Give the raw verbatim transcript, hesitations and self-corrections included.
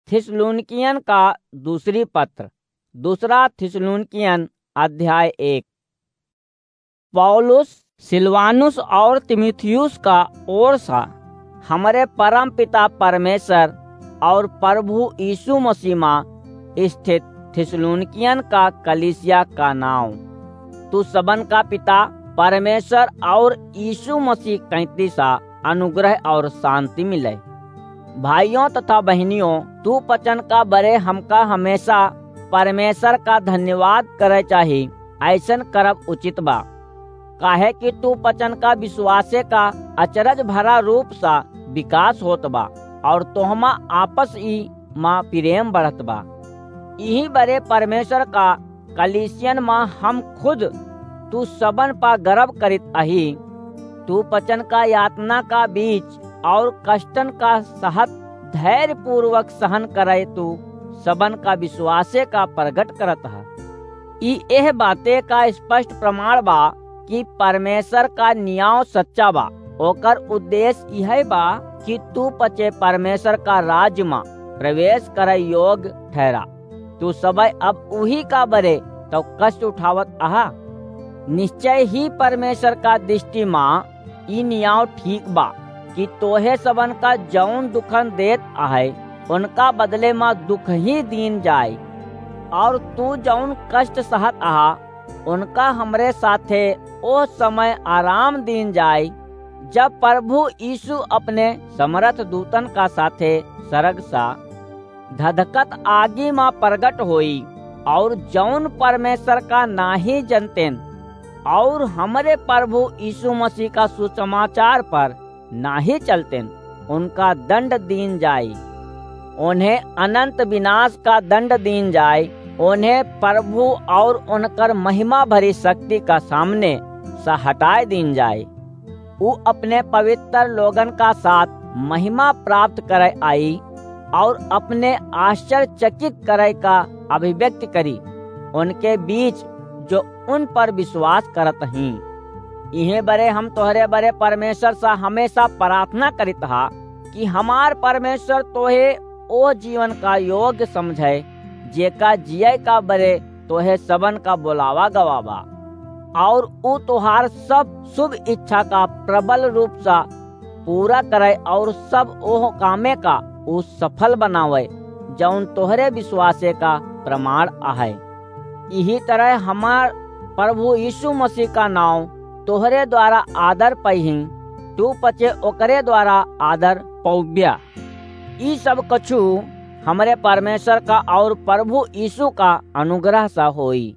थिस्सलुनीकियन का दूसरी पत्र, दूसरा थिस्सलुनीकियन अध्याय एक। पौलुस सिलवानुस और तीमुथियुस का ओर सा हमरे परम पिता परमेश्वर और प्रभु यीशु मसीह मा स्थित थिस्सलुनीकियन का कलीसिया का नाव। तू सबन का पिता परमेश्वर और यीशु मसीह कैंती सा अनुग्रह और शांति मिले। भाइयों तथा बहनियों, तू पचन का बरे हमका हमेशा परमेश्वर का धन्यवाद करे चाही। ऐसन करब उचित बा, काहे कि तू पचन का विश्वासे का अचरज भरा रूप सा विकास होत बा और तोहमा आपस ई मा प्रेम बढ़त बा। इही बरे परमेश्वर का कलीसियन मा हम खुद तू सबन पा गर्व करित अही। तू पचन का यातना का बीच और कष्टन का सहत धैर्यपूर्वक सहन करे तू सबन का विश्वासे का प्रगट करत ह। ई एह बाते का स्पष्ट प्रमाण बा कि परमेश्वर का नियाव सच्चा बा। ओकर उद्देश्य यह बा कि तू पचे परमेश्वर का राज्य मा प्रवेश करे योग्य ठहरा। तू सबय अब उही का बरे तो कष्ट उठावत आहा। निश्चय ही परमेश्वर का दृष्टि मा ई नियाव ठीक बा कि तोहे सबन का जौन दुखन देत आहे, उनका बदले मा दुख ही दीन जाए, और तू जौन कष्ट सहत आहा, उनका हमरे साथे ओ समय आराम दीन जाए, जब प्रभु यीशु अपने समरथ दूतन का साथे सरग सा धधकत आगी मा प्रगट होई, और जौन परमेश्वर का नाही जनतेन, और हमरे प्रभु यीशु मसीह का सुसमाचार पर नाही चलतेन, उनका दंड दीन जाई। उन्हें अनंत विनाश का दंड दीन जाए। उन्हें प्रभु और उनकर महिमा भरी शक्ति का सामने से हटाए दीन जाए। ऊ अपने पवित्र लोगन का साथ महिमा प्राप्त करे आई और अपने आश्चर्यचकित करे का अभिव्यक्ति करी उनके बीच जो उन पर विश्वास करत ही। इहे बरे हम तोहरे बरे परमेश्वर से हमेशा प्रार्थना करित हा कि हमार परमेश्वर तोहे ओ जीवन का योग्य समझे, जेका जिये का बरे तोहे सबन का बोलावा गवा बा, और ऊ तोहार सब शुभ इच्छा का प्रबल रूप से पूरा करे और सब ओह कामे का ऊ सफल बनावे, जौन तोहरे विश्वासे का प्रमाण आहे। इही तरह हमार प्रभु यीशु मसीह का नाव तोहरे द्वारा आदर पइही, तू पचे ओकरे द्वारा आदर पौब्या। ई सब कछु हमरे परमेश्वर का और प्रभु यीशु का अनुग्रह सा होई।